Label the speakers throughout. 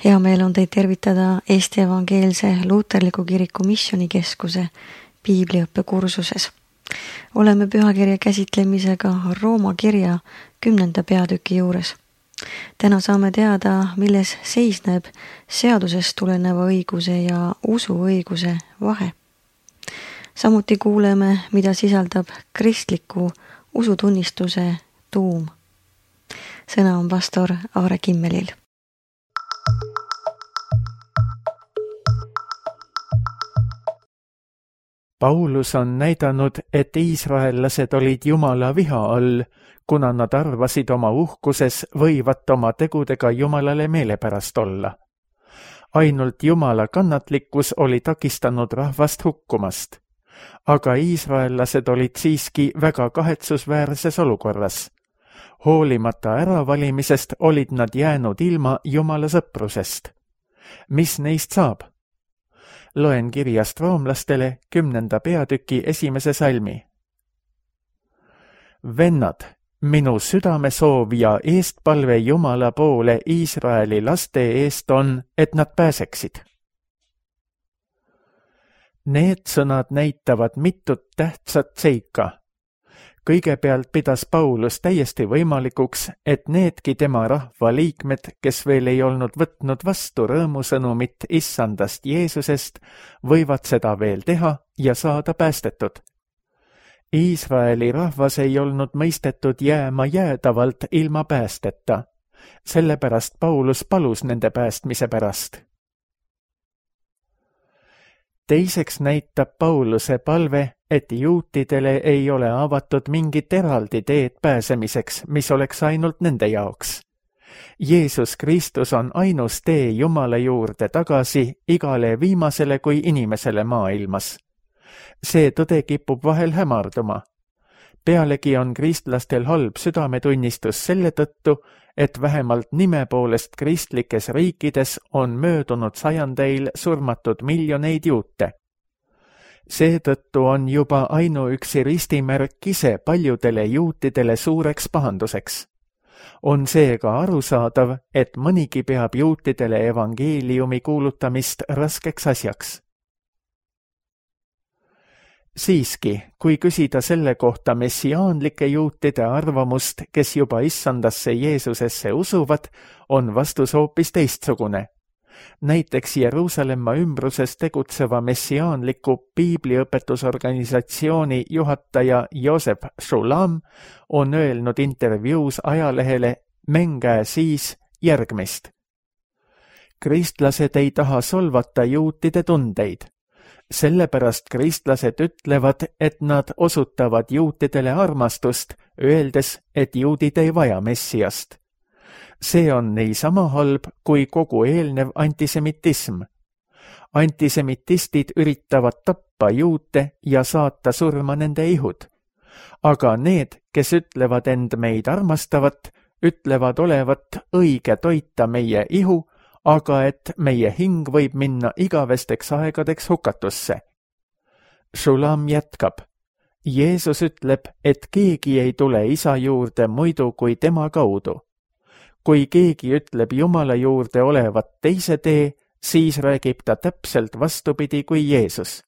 Speaker 1: Hea meel on teid tervitada Eesti Evangeelse Luuterliku Kiriku Missioonikeskuse piibliõppekursuses. Oleme pühakirja käsitlemisega Rooma kirja 10. peatüki juures. Täna saame teada, milles seisneb seadusest tuleneva õiguse ja usuõiguse vahe. Samuti kuuleme, mida sisaldab kristliku usutunnistuse tuum. Sõna on pastor Aare Kimmelil.
Speaker 2: Paulus on näidanud, et iisraellased olid Jumala viha all, kuna nad arvasid oma uhkuses võivat oma tegudega Jumalale meelepärast olla. Ainult Jumala kannatlikkus oli takistanud rahvast hukkumast. Aga iisraellased olid siiski väga kahetsusväärses olukorras. Hoolimata äravalimisest olid nad jäänud ilma Jumala sõprusest. Mis neist saab? Loen kirjast roomlastele 10. peatüki 1. salmi. Vennad, minu südamesoov ja eestpalve Jumala poole Iisraeli laste eest on, et nad pääseksid. Need sõnad näitavad mitut tähtsat seika. Kõigepealt pidas Paulus täiesti võimalikuks, et needki tema rahva liikmed, kes veel ei olnud võtnud vastu rõõmusõnumit issandast Jeesusest, võivad seda veel teha ja saada päästetud. Iisraeli rahvas ei olnud mõistetud jääma jäädavalt ilma päästeta, sellepärast Paulus palus nende päästmise pärast. Teiseks näitab Pauluse palve, et juutidele ei ole avatud mingit eraldi teed pääsemiseks, mis oleks ainult nende jaoks. Jeesus Kristus on ainus tee Jumala juurde tagasi igale viimasele kui inimesele maailmas. See tõde kipub vahel hämarduma. Pealegi on kristlastel halb südametunnistus selle tõttu, et vähemalt nime poolest kristlikes riikides on möödunud sajandeil surmatud miljoneid juute. Seetõttu on juba ainuüksi ristimärk ise paljudele juutidele suureks pahanduseks. On seega arusaadav, et mõnigi peab juutidele evangeeliumi kuulutamist raskeks asjaks. Siiski, kui küsida selle kohta messiaanlike juutide arvamust, kes juba issandasse Jeesusesse usuvad, on vastus hoopis teistsugune. Näiteks Jeruusalemma ümbruses tegutseva messiaanliku piibliõpetusorganisatsiooni juhataja Joseph Shulam on öelnud intervjuus ajalehele Mengää siis järgmist. Kristlased ei taha solvata juutide tundeid. Sellepärast kristlased ütlevad, et nad osutavad juutidele armastust, öeldes, et juudid ei vaja messiast. See on niisama halb kui kogu eelnev antisemitism. Antisemitistid üritavad tappa juute ja saata surma nende ihud. Aga need, kes ütlevad end meid armastavat, ütlevad olevat õige toita meie ihu, aga et meie hing võib minna igavesteks aegadeks hukatusse. Shulam jätkab. Jeesus ütleb, et keegi ei tule isa juurde muidu kui tema kaudu. Kui keegi ütleb Jumala juurde olevat teise tee, siis räägib ta täpselt vastupidi kui Jeesus.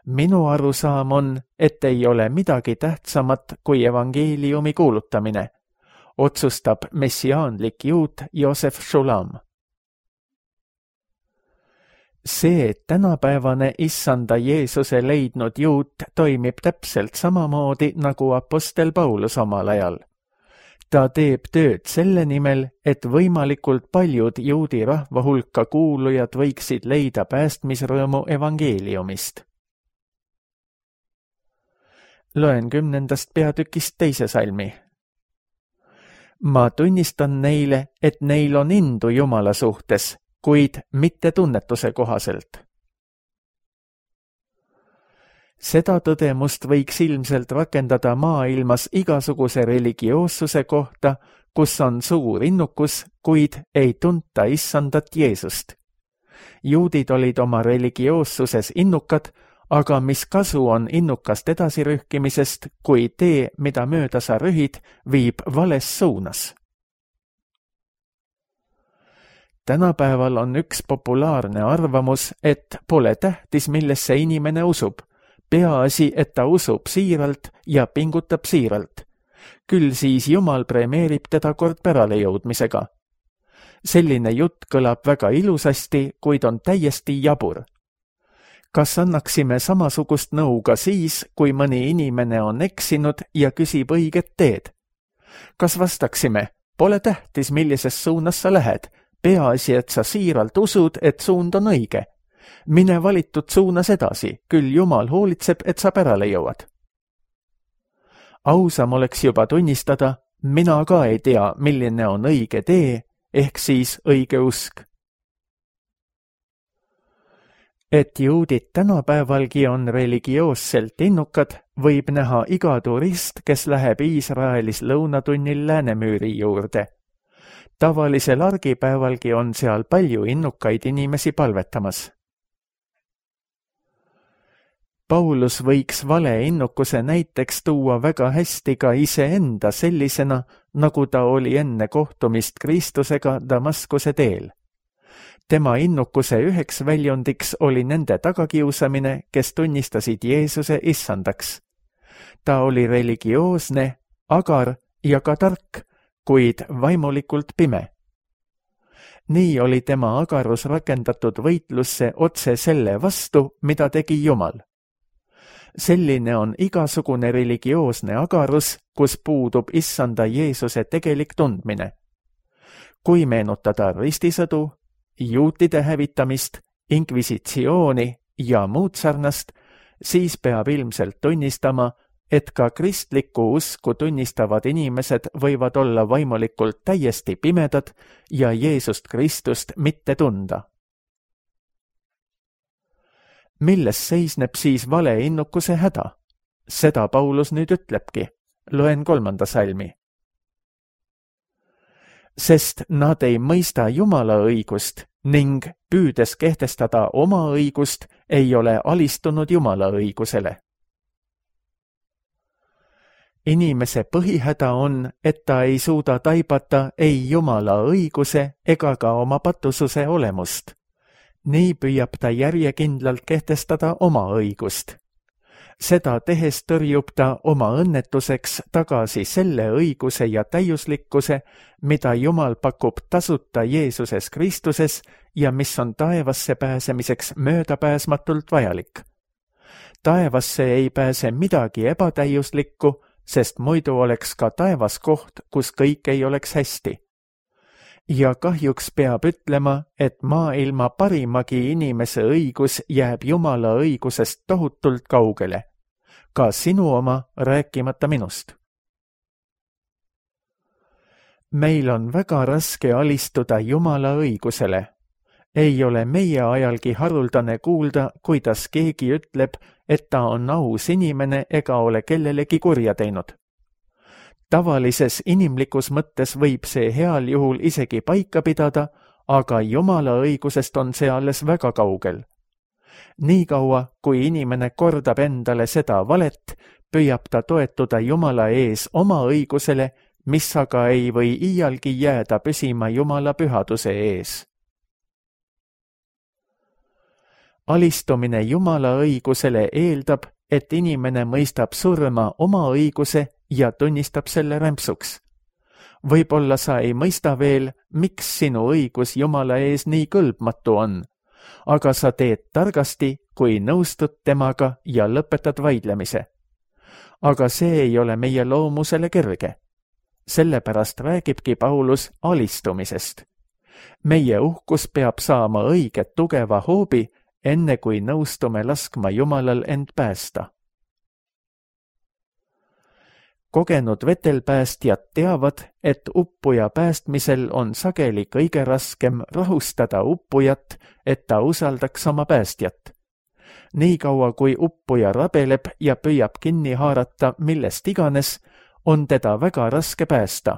Speaker 2: Minu arusaam on, et ei ole midagi tähtsamat kui evangeeliumi kuulutamine, otsustab messiaanlik juut Joseph Shulam. See, et tänapäevane issanda Jeesuse leidnud juut toimib täpselt samamoodi nagu apostel Paulus omal ajal. Ta teeb tööd selle nimel, et võimalikult paljud juudi rahva hulka kuulujad võiksid leida päästmisrõõmu evangeeliumist. Loen 10. peatükist 2. salmi. Ma tunnistan neile, et neil on indu Jumala suhtes, kuid mitte tunnetuse kohaselt. Seda tõdemust võiks ilmselt rakendada maailmas igasuguse religioossuse kohta, kus on suur innukus, kuid ei tunta issandat Jeesust. Juudid olid oma religioossuses innukad, aga mis kasu on innukast edasirühkimisest, kui tee, mida mööda sa rühid, viib vales suunas? Tänapäeval on üks populaarne arvamus, et pole tähtis, millesse inimene usub. Peaasi, et ta usub siiralt ja pingutab siiralt. Küll siis Jumal premeerib teda kord pärale jõudmisega. Selline jutt kõlab väga ilusasti, kuid on täiesti jabur. Kas annaksime samasugust nõu ka siis, kui mõni inimene on eksinud ja küsib õiget teed? Kas vastaksime, pole tähtis, millises suunas sa lähed, peaasi, et sa siiralt usud, et suund on õige. Mine valitud suunas edasi, küll Jumal hoolitseb, et sa pärale jõuad. Ausam oleks juba tunnistada, mina ka ei tea, milline on õige tee, ehk siis õige usk. Et juudid tänapäevalgi on religioosselt innukad, võib näha iga turist, kes läheb Iisraelis lõunatunnil Läänemüüri juurde. Tavalisel argipäevalgi on seal palju innukaid inimesi palvetamas. Paulus võiks vale innukuse näiteks tuua väga hästi ka iseenda sellisena, nagu ta oli enne kohtumist Kristusega Damaskuse teel. Tema innukuse üheks väljundiks oli nende tagakiusamine, kes tunnistasid Jeesuse issandaks. Ta oli religioosne, agar ja ka tark, kuid vaimulikult pime. Nii oli tema agarus rakendatud võitlusse otse selle vastu, mida tegi Jumal. Selline on igasugune religioosne agarus, kus puudub issanda Jeesuse tegelik tundmine. Kui meenutada ristisõdu, juutide hävitamist, inkvisitsiooni ja muud sarnast, siis peab ilmselt tunnistama, et ka kristlikku usku tunnistavad inimesed võivad olla vaimulikult täiesti pimedad ja Jeesust Kristust mitte tunda. Milles seisneb siis vale innukuse häda? Seda Paulus nüüd ütlebki. Loen 3. salmi. Sest nad ei mõista Jumala õigust ning püüdes kehtestada oma õigust, ei ole alistunud Jumala õigusele. Inimese põhihäda on, et ta ei suuda taibata ei Jumala õiguse ega ka oma patususe olemust. Nii püüab ta järjekindlalt kehtestada oma õigust. Seda tehes tõrjub ta oma õnnetuseks tagasi selle õiguse ja täiuslikkuse, mida Jumal pakub tasuta Jeesuses Kristuses ja mis on taevasse pääsemiseks möödapääsmatult vajalik. Taevasse ei pääse midagi ebatäiuslikku, sest muidu oleks ka taevas koht, kus kõik ei oleks hästi. Ja kahjuks peab ütlema, et maailma parimagi inimese õigus jääb Jumala õigusest tohutult kaugele. Ka sinu oma, rääkimata minust. Meil on väga raske alistuda Jumala õigusele. Ei ole meie ajalgi haruldane kuulda, kuidas keegi ütleb, et ta on aus inimene ega ole kellelegi kurja teinud. Tavalises inimlikus mõttes võib see heal juhul isegi paika pidada, aga Jumala õigusest on see alles väga kaugel. Niikaua, kui inimene kordab endale seda valet, püüab ta toetuda Jumala ees oma õigusele, mis aga ei või iialgi jääda püsima Jumala pühaduse ees. Alistumine Jumala õigusele eeldab, et inimene mõistab surma oma õiguse ja tunnistab selle rämpsuks. Võib-olla sa ei mõista veel, miks sinu õigus Jumala ees nii kõlbmatu on, aga sa teed targasti, kui nõustud temaga ja lõpetad vaidlemise. Aga see ei ole meie loomusele kerge. Sellepärast räägibki Paulus alistumisest. Meie uhkus peab saama õiget tugeva hoobi, enne kui nõustume laskma Jumalal end päästa. Kogenud vetelpäästjad teavad, et uppuja päästmisel on sageli kõige raskem rahustada uppujat, et ta usaldaks oma päästjat. Niikaua kui uppuja rabeleb ja püüab kinni haarata millest iganes, on teda väga raske päästa.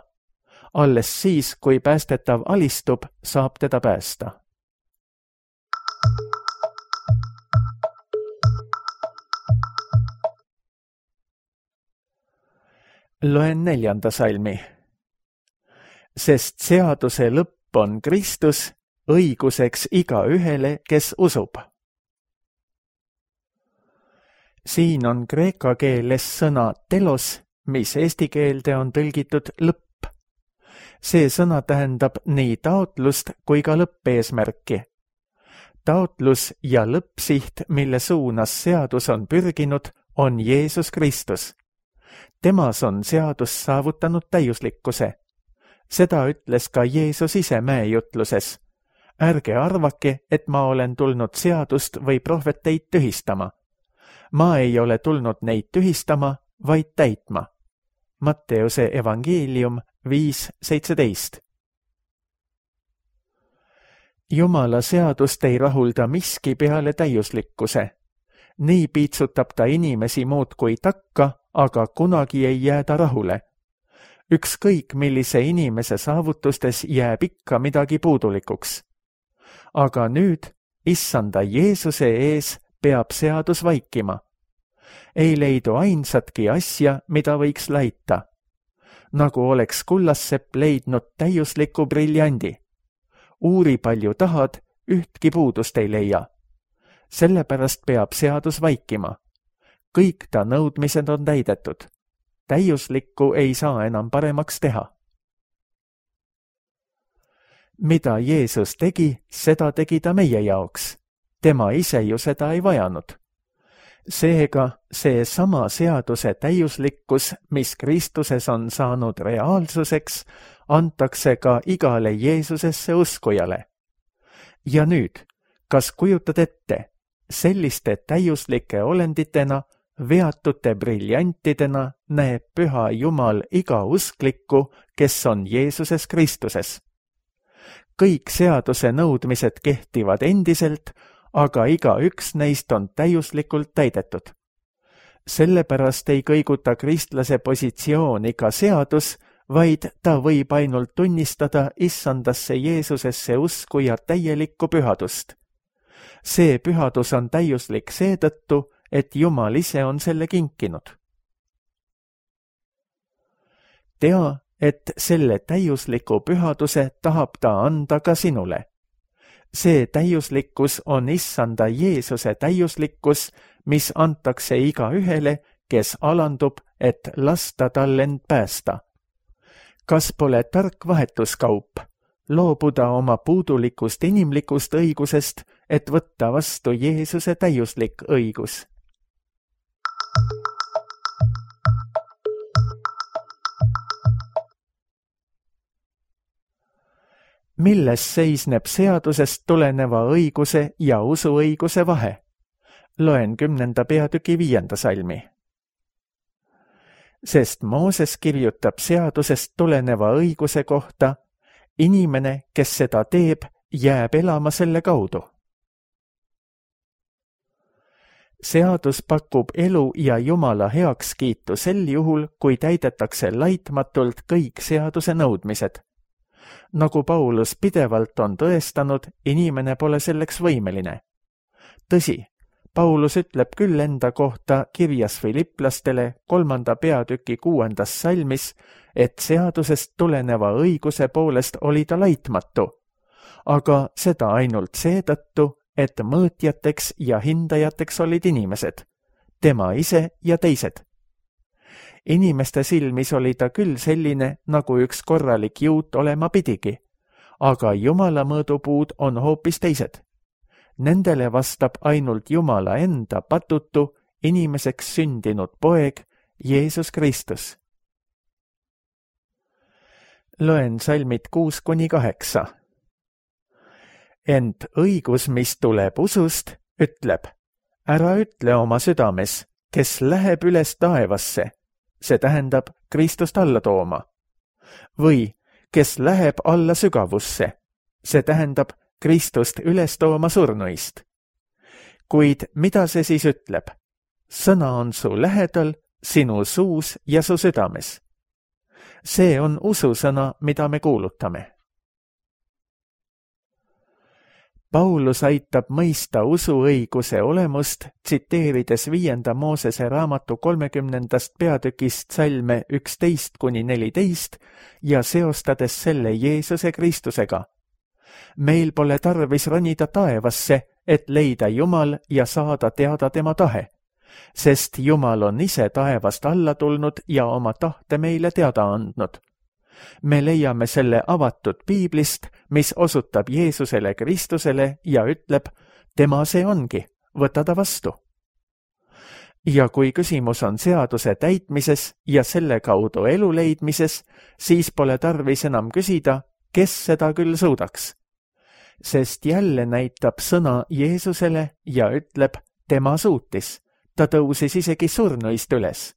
Speaker 2: Alles siis, kui päästetav alistub, saab teda päästa. Loen 4. salmi. Sest seaduse lõpp on Kristus õiguseks igaühele, kes usub. Siin on kreeka keeles sõna telos, mis eesti keelde on tõlgitud lõpp. See sõna tähendab nii taotlust kui ka lõppeesmärki. Taotlus ja lõppsiht, mille suunas seadus on pürginud, on Jeesus Kristus. Temas on seadus saavutanud täiuslikkuse. Seda ütles ka Jeesus ise mäejutluses. Ärge arvake, et ma olen tulnud seadust või prohveteid tühistama. Ma ei ole tulnud neid tühistama, vaid täitma. Matteuse evangeelium 5:17. Jumala seadust ei rahulda miski peale täiuslikkuse. Nii piitsutab ta inimesi muudkui takka, aga kunagi ei jää ta rahule. Ükskõik millise inimese saavutustes jääb ikka midagi puudulikuks. Aga nüüd, issanda Jeesuse ees, peab seadus vaikima. Ei leidu ainsatki asja, mida võiks laita. Nagu oleks kullassepp leidnud täiusliku briljandi. Uuri palju tahad, ühtki puudust ei leia. Sellepärast peab seadus vaikima. Kõik ta nõudmised on täidetud. Täiuslikku ei saa enam paremaks teha. Mida Jeesus tegi, seda tegi ta meie jaoks. Tema ise ju seda ei vajanud. Seega see sama seaduse täiuslikkus, mis Kristuses on saanud reaalsuseks, antakse ka igale Jeesusesse uskujale. Ja nüüd, kas kujutad ette, selliste täiuslike olenditena, veatute briljantidena näeb Püha Jumal iga usklikku, kes on Jeesuses Kristuses. Kõik seaduse nõudmised kehtivad endiselt, aga igaüks neist on täiuslikult täidetud. Sellepärast ei kõiguta kristlase positsiooni ka seadus, vaid ta võib ainult tunnistada issandasse Jeesusesse usku ja täielikku pühadust. See pühadus on täiuslik seetõttu, et Jumal ise on selle kinkinud. Tea, et selle täiusliku pühaduse tahab ta anda ka sinule. See täiuslikkus on issanda Jeesuse täiuslikkus, mis antakse igaühele, kes alandub, et lasta tal end päästa. Kas pole tark vahetuskaup, loobuda oma puudulikust inimlikust õigusest, et võtta vastu Jeesuse täiuslik õigus? Milles seisneb seadusest tuleneva õiguse ja usuõiguse vahe? Loen 10. peatüki 5. salmi. Sest Mooses kirjutab seadusest tuleneva õiguse kohta, inimene, kes seda teeb, jääb elama selle kaudu. Seadus pakub elu ja Jumala heakskiitu sel juhul, kui täidetakse laitmatult kõik seaduse nõudmised. Nagu Paulus pidevalt on tõestanud, inimene pole selleks võimeline. Tõsi, Paulus ütleb küll enda kohta kirjas Filiplastele 3. peatüki 6. salmis, et seadusest tuleneva õiguse poolest oli ta laitmatu, aga seda ainult seetõttu, et mõõtjateks ja hindajateks olid inimesed, tema ise ja teised. Inimeste silmis oli ta küll selline, nagu üks korralik juut olema pidigi, aga Jumala mõõdupuud on hoopis teised. Nendele vastab ainult Jumala enda patutu, inimeseks sündinud poeg, Jeesus Kristus. Loen salmid 6-8. Ent õigus, mis tuleb usust, ütleb, ära ütle oma südames, kes läheb üles taevasse, see tähendab Kristust alla tooma. Või kes läheb alla sügavusse, see tähendab Kristust üles tooma surnuist. Kuid mida see siis ütleb? Sõna on su lähedal, sinu suus ja su südames. See on ususõna, mida me kuulutame. Paulus aitab mõista usuõiguse olemust, tsiteerides 5. Moosese raamatu 30. peatükist salme 11-14 ja seostades selle Jeesuse Kristusega. meil pole tarvis ronida taevasse, et leida Jumal ja saada teada tema tahe, sest Jumal on ise taevast alla tulnud ja oma tahte meile teada andnud. Me leiame selle avatud piiblist, mis osutab Jeesusele Kristusele ja ütleb, tema see ongi, võta ta vastu. Ja kui küsimus on seaduse täitmises ja selle kaudu elu leidmises, siis pole tarvis enam küsida, kes seda küll suudaks. Sest jälle näitab sõna Jeesusele ja ütleb, tema suutis. Ta tõusis isegi surnuist üles.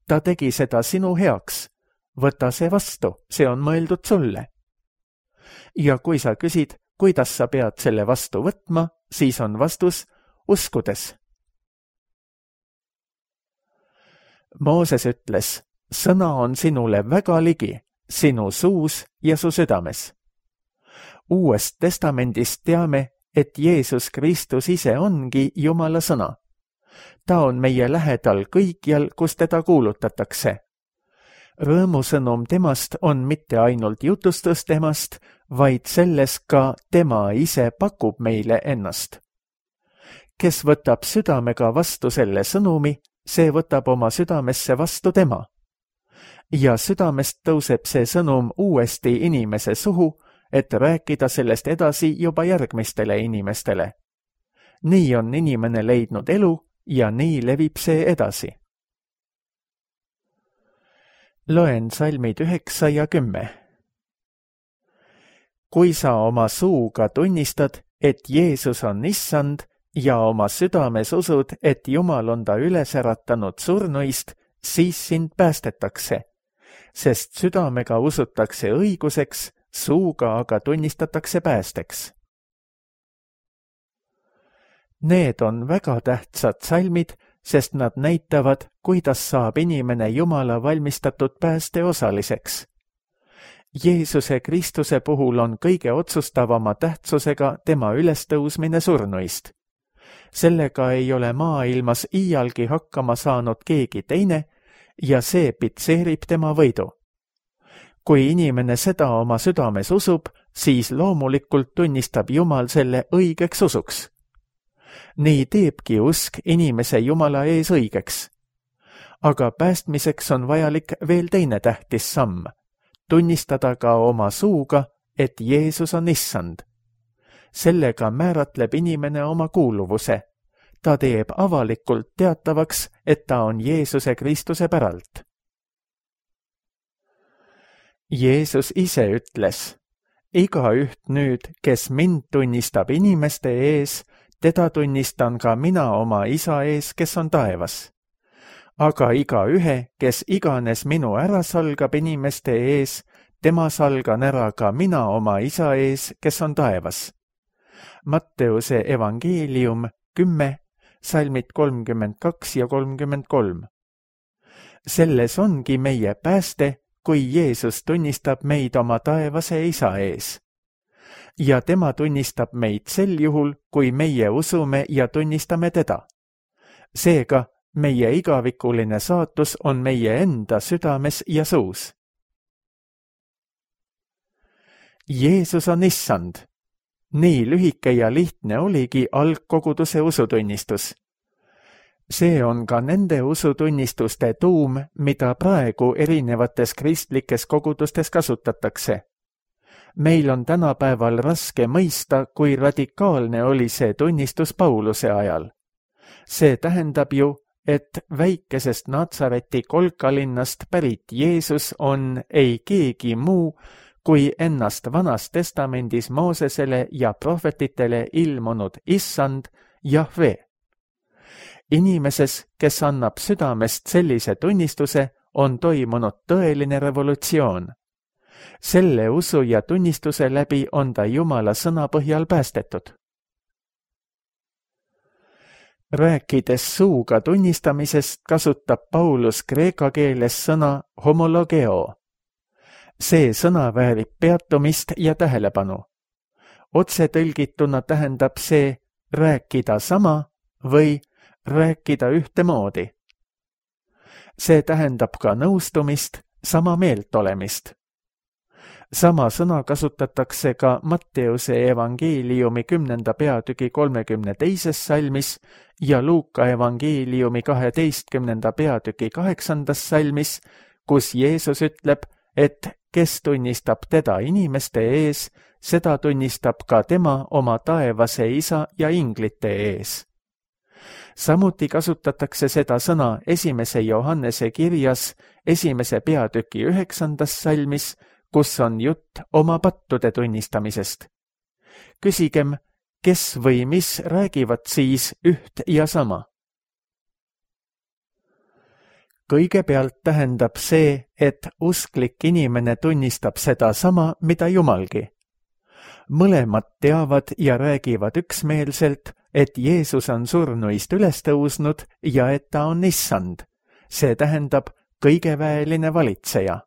Speaker 2: Ta tegi seda sinu heaks. Võta see vastu, see on mõeldud sulle. Ja kui sa küsid, kuidas sa pead selle vastu võtma, siis on vastus uskudes. Mooses ütles, sõna on sinule väga ligi, sinu suus ja su südames. Uuest testamendist teame, et Jeesus Kristus ise ongi Jumala sõna. Ta on meie lähedal kõikjal, kus teda kuulutatakse. Rõõmusõnum temast on mitte ainult jutustus temast, vaid selles ka tema ise pakub meile ennast. Kes võtab südamega vastu selle sõnumi, see võtab oma südamesse vastu tema. Ja südamest tõuseb see sõnum uuesti inimese suhu, et rääkida sellest edasi juba järgmistele inimestele. Nii on inimene leidnud elu ja nii levib see edasi. Loen salmid 9 ja 10. Kui sa oma suuga tunnistad, et Jeesus on issand ja oma südames usud, et Jumal on ta üles äratanud surnuist, siis sind päästetakse, sest südamega usutakse õiguseks, suuga aga tunnistatakse päästeks. Need on väga tähtsad salmid, sest nad näitavad, kuidas saab inimene Jumala valmistatud pääste osaliseks. Jeesuse Kristuse puhul on kõige otsustavama tähtsusega tema ülestõusmine surnuist. Sellega ei ole maailmas iialgi hakkama saanud keegi teine ja see pitseerib tema võidu. Kui inimene seda oma südames usub, siis loomulikult tunnistab Jumal selle õigeks usuks. Nii teebki usk inimese Jumala ees õigeks. Aga päästmiseks on vajalik veel teine tähtis samm. Tunnistada ka oma suuga, et Jeesus on issand. Sellega määratleb inimene oma kuuluvuse. Ta teeb avalikult teatavaks, et ta on Jeesuse Kristuse päralt. Jeesus ise ütles, igaüht nüüd, kes mind tunnistab inimeste ees, teda tunnistan ka mina oma isa ees, kes on taevas. Aga igaühe, kes iganes minu ära salgab inimeste ees, tema salgan ära ka mina oma isa ees, kes on taevas. Matteuse evangeelium 10, salmid 32 ja 33. Selles ongi meie pääste, kui Jeesus tunnistab meid oma taevase isa ees. Ja tema tunnistab meid sel juhul, kui meie usume ja tunnistame teda. Seega, meie igavikuline saatus on meie enda südames ja suus. Jeesus on issand. Nii lühike ja lihtne oligi algkoguduse usutunnistus. See on ka nende usutunnistuste tuum, mida praegu erinevates kristlikes kogudustes kasutatakse. Meil on tänapäeval raske mõista, kui radikaalne oli see tunnistus Pauluse ajal. See tähendab ju, et väikesest Natsareti kolkalinnast pärit Jeesus on ei keegi muu, kui ennast Vanas Testamendis Moosesele ja prohvetitele ilmunud issand Jahve. Inimeses, kes annab südamest sellise tunnistuse, on toimunud tõeline revolutsioon. Selle usu ja tunnistuse läbi on ta Jumala sõna põhjal päästetud. Rääkides suuga tunnistamisest, kasutab Paulus kreeka keeles sõna homologeo. See sõna väärib peatumist ja tähelepanu. Otse tõlgituna tähendab see rääkida sama või rääkida ühtemoodi. See tähendab ka nõustumist, sama meelt olemist. Sama sõna kasutatakse ka Matteuse evangeeliumi 10. peatüki 32. salmis ja Luuka evangeeliumi 12. peatüki 8. salmis, kus Jeesus ütleb, et kes tunnistab teda inimeste ees, seda tunnistab ka tema oma taevase isa ja inglite ees. Samuti kasutatakse seda sõna 1. Johannese kirjas 1. peatüki 9. salmis, kus on jutt oma pattude tunnistamisest. Küsigem, kes või mis räägivad siis üht ja sama? Kõigepealt tähendab see, et usklik inimene tunnistab seda sama, mida Jumalgi. Mõlemad teavad ja räägivad üksmeelselt, et Jeesus on surnuist üles tõusnud ja et ta on issand. See tähendab kõigeväeline valitseja.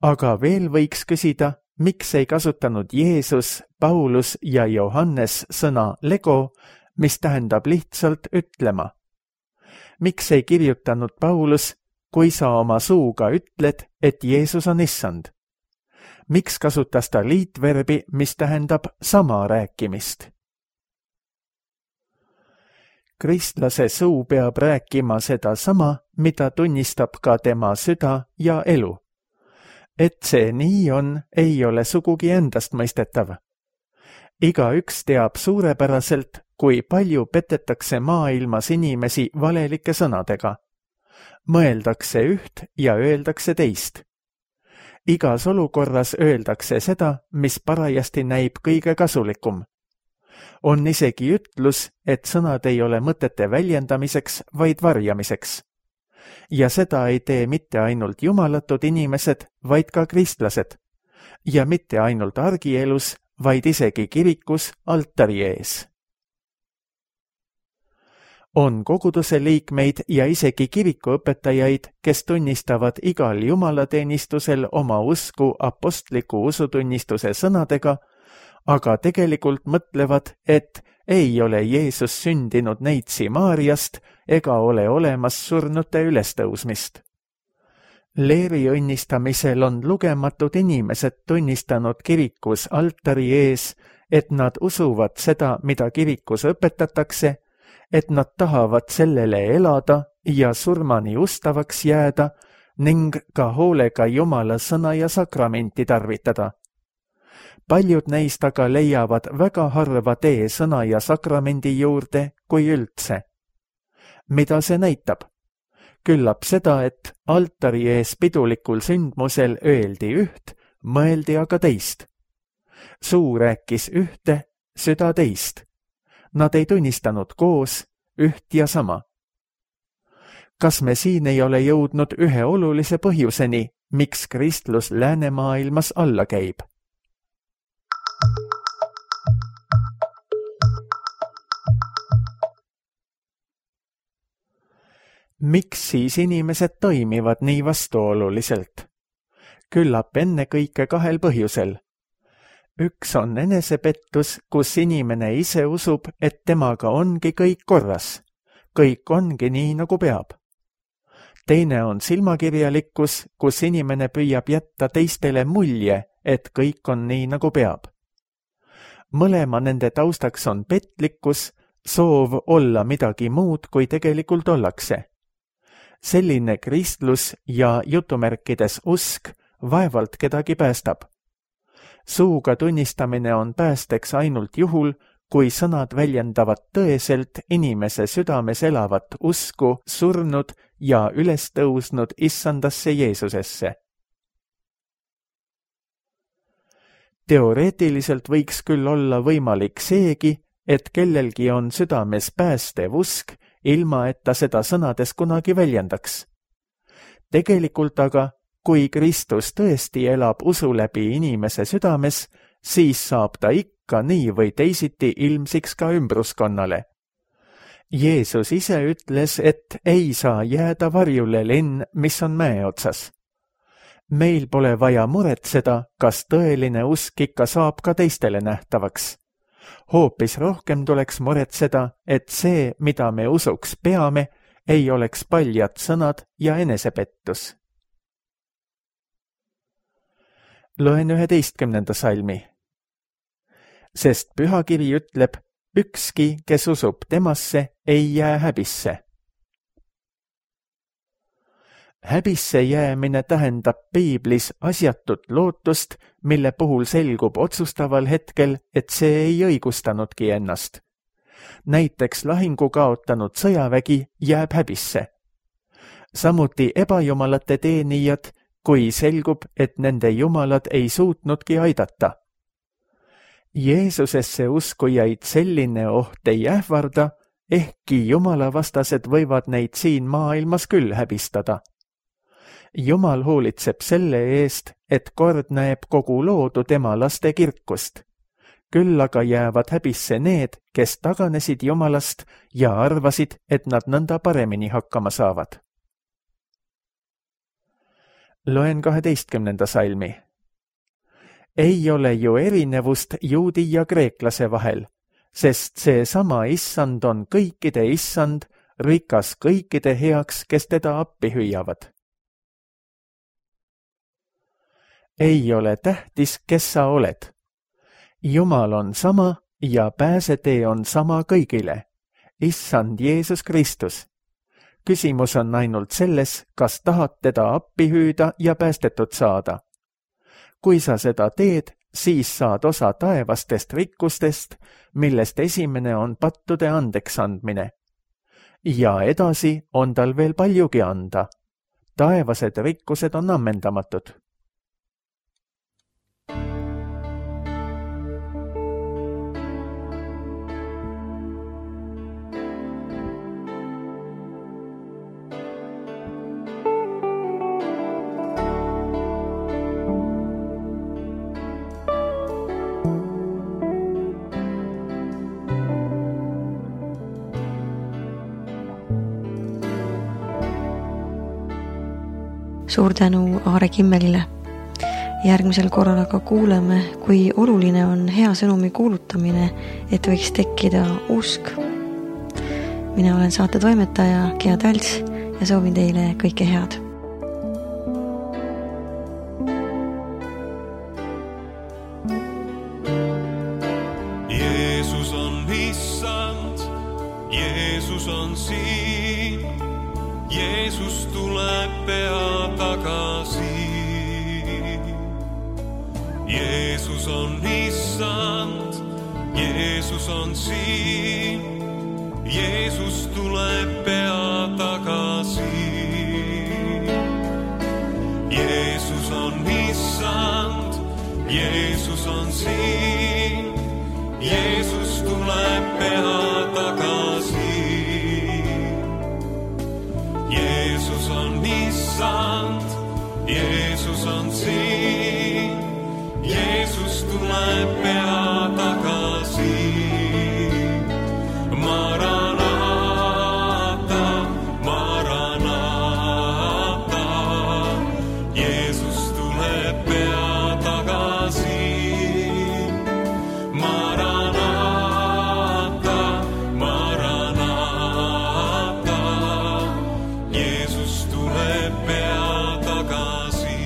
Speaker 2: Aga veel võiks küsida, miks ei kasutanud Jeesus, Paulus ja Johannes sõna lego, mis tähendab lihtsalt ütlema. Miks ei kirjutanud Paulus, kui sa oma suuga ütled, et Jeesus on issand? Miks kasutas ta liitverbi, mis tähendab sama rääkimist? Kristlase suu peab rääkima seda sama, mida tunnistab ka tema süda ja elu. Et see nii on, ei ole sugugi endastmõistetav. Igaüks teab suurepäraselt, kui palju petetakse maailmas inimesi valelike sõnadega. Mõeldakse üht ja öeldakse teist. Igas olukorras öeldakse seda, mis parajasti näib kõige kasulikum. On isegi ütlus, et sõnad ei ole mõtete väljendamiseks, vaid varjamiseks. Ja seda ei tee mitte ainult jumalatud inimesed, vaid ka kristlased. Ja mitte ainult argielus, vaid isegi kirikus altari ees. On koguduse liikmeid ja isegi kirikuõpetajaid, kes tunnistavad igal jumalateenistusel oma usku apostliku usutunnistuse sõnadega, aga tegelikult mõtlevad, et ei ole Jeesus sündinud neitsi Maariast ega ole olemas surnute ülestõusmist. Leeri õnnistamisel on lugematud inimesed tunnistanud kirikus altari ees, et nad usuvad seda, mida kirikus õpetatakse, et nad tahavad sellele elada ja surmani ustavaks jääda ning ka hoolega Jumala sõna ja sakramenti tarvitada. Paljud neist aga leiavad väga harva tee sõna ja sakramendi juurde, kui üldse. Mida see näitab? Küllap seda, et altari ees pidulikul sündmusel öeldi üht, mõeldi aga teist. Suu rääkis ühte, süda teist. Nad ei tunnistanud koos üht ja sama. Kas me siin ei ole jõudnud ühe olulise põhjuseni, miks kristlus läänemaailmas alla käib? Miks siis inimesed toimivad nii vastuoluliselt? Küllap ennekõike kahel põhjusel. Üks on enesepettus, kus inimene ise usub, et temaga ongi kõik korras. Kõik ongi nii, nagu peab. Teine on silmakirjalikkus, kus inimene püüab jätta teistele mulje, et kõik on nii, nagu peab. Mõlema nende taustaks on petlikkus, soov olla midagi muud, kui tegelikult ollakse. Selline kristlus ja jutumärkides usk vaevalt kedagi päästab. Suuga tunnistamine on päästeks ainult juhul, kui sõnad väljendavad tõeselt inimese südames elavat usku surnud ja üles tõusnud issandasse Jeesusesse. Teoreetiliselt võiks küll olla võimalik seegi, et kellelgi on südames päästev usk, ilma et ta seda sõnades kunagi väljendaks. Tegelikult aga, kui Kristus tõesti elab usu läbi inimese südames, siis saab ta ikka nii või teisiti ilmsiks ka ümbruskonnale. Jeesus ise ütles, et ei saa jääda varjule linn, mis on mäe otsas. Meil pole vaja muretseda, kas tõeline usk ikka saab ka teistele nähtavaks. Hoopis rohkem tuleks muretseda, et see, mida me usuks peame, ei oleks paljad sõnad ja enesepettus. Loen 11. salmi. Sest pühakiri ütleb, ükski, kes usub temasse, ei jää häbisse. Häbisse jäämine tähendab piiblis asjatut lootust, mille puhul selgub otsustaval hetkel, et see ei õigustanudki ennast. Näiteks lahingu kaotanud sõjavägi jääb häbisse. Samuti ebajumalate teenijad, kui selgub, et nende jumalad ei suutnudki aidata. Jeesusesse uskujaid selline oht ei ähvarda, ehkki jumalavastased võivad neid siin maailmas küll häbistada. Jumal hoolitseb selle eest, et kord näeb kogu loodu tema laste kirkust. Küll aga jäävad häbisse need, kes taganesid Jumalast ja arvasid, et nad nõnda paremini hakkama saavad. Loen 12. salmi. Ei ole ju erinevust juudi ja kreeklase vahel, sest see sama issand on kõikide issand, rikas kõikide heaks, kes teda appi hüüavad. Ei ole tähtis, kes sa oled. Jumal on sama ja pääsetee on sama kõigile. Issand Jeesus Kristus. Küsimus on ainult selles, kas tahad teda appi hüüda ja päästetud saada. Kui sa seda teed, siis saad osa taevastest rikkustest, millest esimene on pattude andeks andmine. Ja edasi on tal veel paljugi anda. Taevased rikkused on ammendamatud.
Speaker 1: Suur tänu Aare Kimmelile. Järgmisel korral aga kuuleme, kui oluline on hea sõnumi kuulutamine, et võiks tekkida usk. Mina olen saate toimetaja Gea Talts ja soovin teile kõike head.
Speaker 3: Jeesus on issand, Jeesus on siin, Jeesus tuleb pea tagasi. Jeesus on issand, Jeesus on siin, Jeesus tuleb pea tagasi. Jeesus on issand, Jeesus on siin, Jeesus tuleb pea tagasi. Jeesus on issand, Jeesus on siin, Jeesus tuleb pea tagasi. Maranata, Maranata, Jeesus tuleb pea tagasi. Maranata, Maranata, Jeesus tuleb pea tagasi.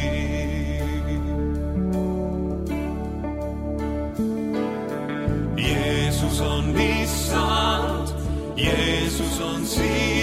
Speaker 3: Jeesus on issand, Jeesus on siin.